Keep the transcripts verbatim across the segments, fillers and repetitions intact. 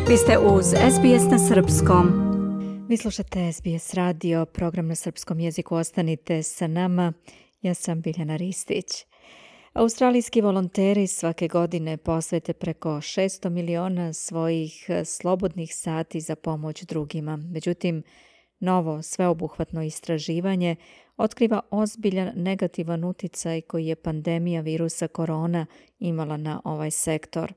Vi ste uz S B S na srpskom. Vi slušate S B S radio, program na srpskom jeziku. Ostanite sa nama. Ja sam Biljana Ristić. Australijski volonteri svake godine posvete preko šesto miliona svojih slobodnih sati za pomoć drugima. Međutim, novo sveobuhvatno istraživanje otkriva ozbiljan negativan uticaj koji je pandemija virusa korona imala na ovaj sektor.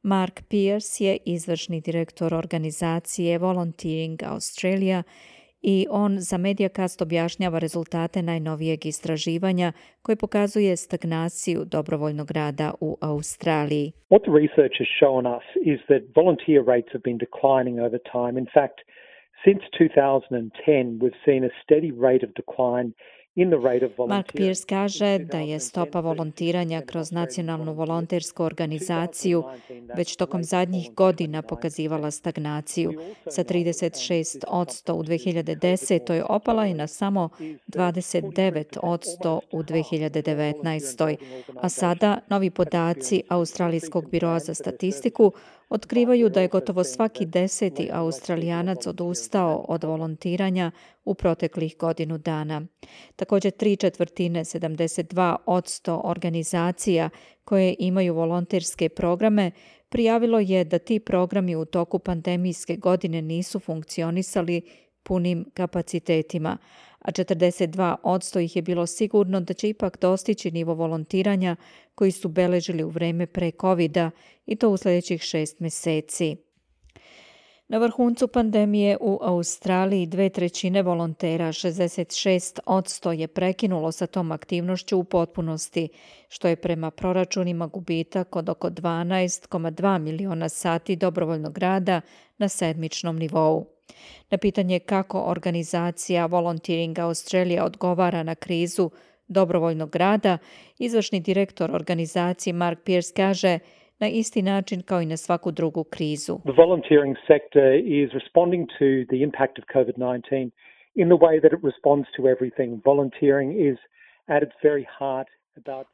Mark Pearce je izvršni direktor organizacije Volunteering Australia i on za Mediacast objašnjava rezultate najnovijeg istraživanja koje pokazuje stagnaciju dobrovoljnog rada u Australiji. What the research has shown us is that volunteer rates have been declining over time. In fact, since two thousand ten, we've seen a steady rate of decline. Mark Pearce kaže da je stopa volontiranja kroz nacionalnu volontersku organizaciju već tokom zadnjih godina pokazivala stagnaciju. Sa trideset šest posto u dve hiljade desetoj opala je na samo dvadeset devet posto u dve hiljade devetnaestoj. A sada novi podaci Australijskog biroa za statistiku otkrivaju da je gotovo svaki deseti Australijanac odustao od volontiranja u proteklih godinu dana. Također tri četvrtine, sedamdeset dva posto organizacija koje imaju volonterske programe prijavilo je da ti programi u toku pandemijske godine nisu funkcionisali punim kapacitetima, a četrdeset dva posto ih je bilo sigurno da će ipak dostići nivo volontiranja koji su beležili u vreme pre covida i to u sljedećih šest mjeseci. Na vrhuncu pandemije u Australiji dve trećine volontera, šezdeset šest posto je prekinulo sa tom aktivnošću u potpunosti, što je prema proračunima gubitak od oko dvanaest zarez dva miliona sati dobrovoljnog rada na sedmičnom nivou. Na pitanje kako organizacija Volunteering Australia odgovara na krizu dobrovoljnog rada, izvršni direktor organizacije Mark Pearce kaže na isti način kao i na svaku drugu krizu. The volunteering sector is responding to the impact of covid nineteen in the way that it responds to everything. Volunteering is at its very heart.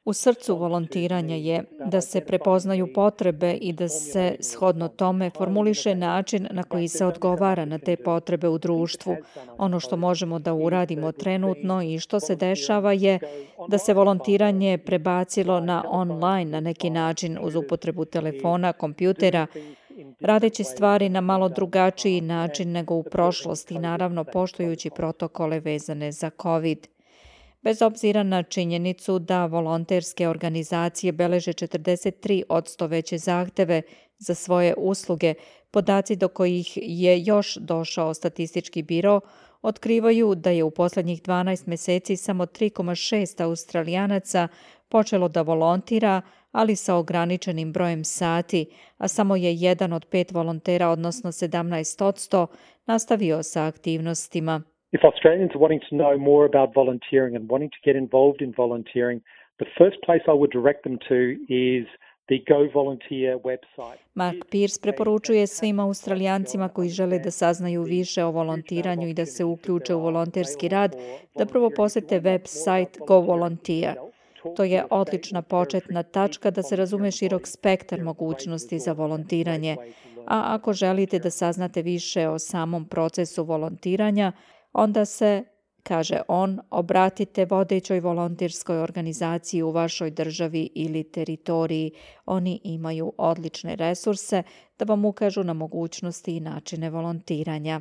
U srcu volontiranja je da se prepoznaju potrebe i da se shodno tome formuliše način na koji se odgovara na te potrebe u društvu. Ono što možemo da uradimo trenutno i što se dešava je da se volontiranje prebacilo na online na neki način uz upotrebu telefona, kompjutera, radeći stvari na malo drugačiji način nego u prošlosti, naravno poštujući protokole vezane za COVID. Bez obzira na činjenicu da volonterske organizacije beleže četrdeset tri posto veće zahteve za svoje usluge, podaci do kojih je još došao statistički biro otkrivaju da je u posljednjih dvanaest mjeseci samo tri zarez šest Australijanaca počelo da volontira, ali sa ograničenim brojem sati, a samo je jedan od pet volontera, odnosno sedamnaest posto, nastavio sa aktivnostima. If Australians are wanting to know more about volunteering and wanting to get involved in volunteering, the first place I would direct them to is the Go Volunteer website. Mark Pearce preporučuje svim Australijancima koji žele da saznaju više o volontiranju i da se uključe u volonterski rad, da prvo posete web sajt Go Volunteer. To je odlična početna tačka da se razume širok spektar mogućnosti za volontiranje. A ako želite da saznate više o samom procesu volontiranja, onda se, kaže on, obratite vodećoj volonterskoj organizaciji u vašoj državi ili teritoriji. Oni imaju odlične resurse da vam ukažu na mogućnosti i načine volontiranja.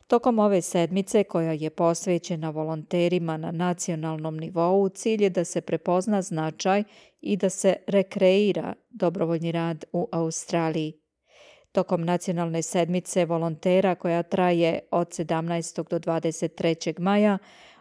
Tokom ove sedmice, koja je posvećena volonterima na nacionalnom nivou, cilj je da se prepozna značaj i da se rekreira dobrovoljni rad u Australiji. Tokom nacionalne sedmice volontera koja traje od sedamnaestog do dvadeset trećeg maja,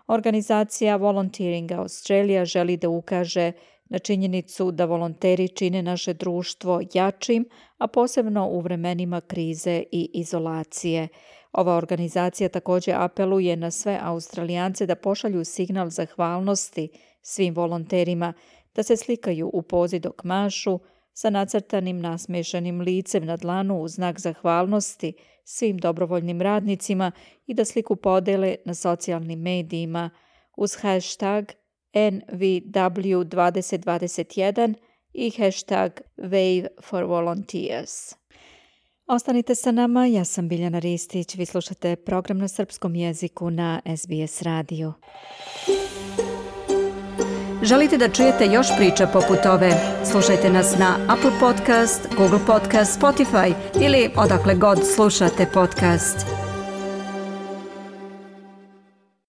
organizacija Volunteering Australia želi da ukaže na činjenicu da volonteri čine naše društvo jačim, a posebno u vremenima krize i izolacije. Ova organizacija također apeluje na sve Australijance da pošalju signal zahvalnosti svim volonterima, da se slikaju u pozi dok mašu, sa nacrtanim nasmešanim licem na dlanu u znak zahvalnosti svim dobrovoljnim radnicima i da sliku podele na socijalnim medijima uz hashtag N V W dvadeset dvadeset jedan i hashtag Wave for Volunteers. Ostanite sa nama, ja sam Biljana Ristić, vi slušate program na srpskom jeziku na S B S radiju. Želite da čujete još priča poput ove? Slušajte nas na Apple Podcast, Google Podcast, Spotify ili odakle god slušate podcast.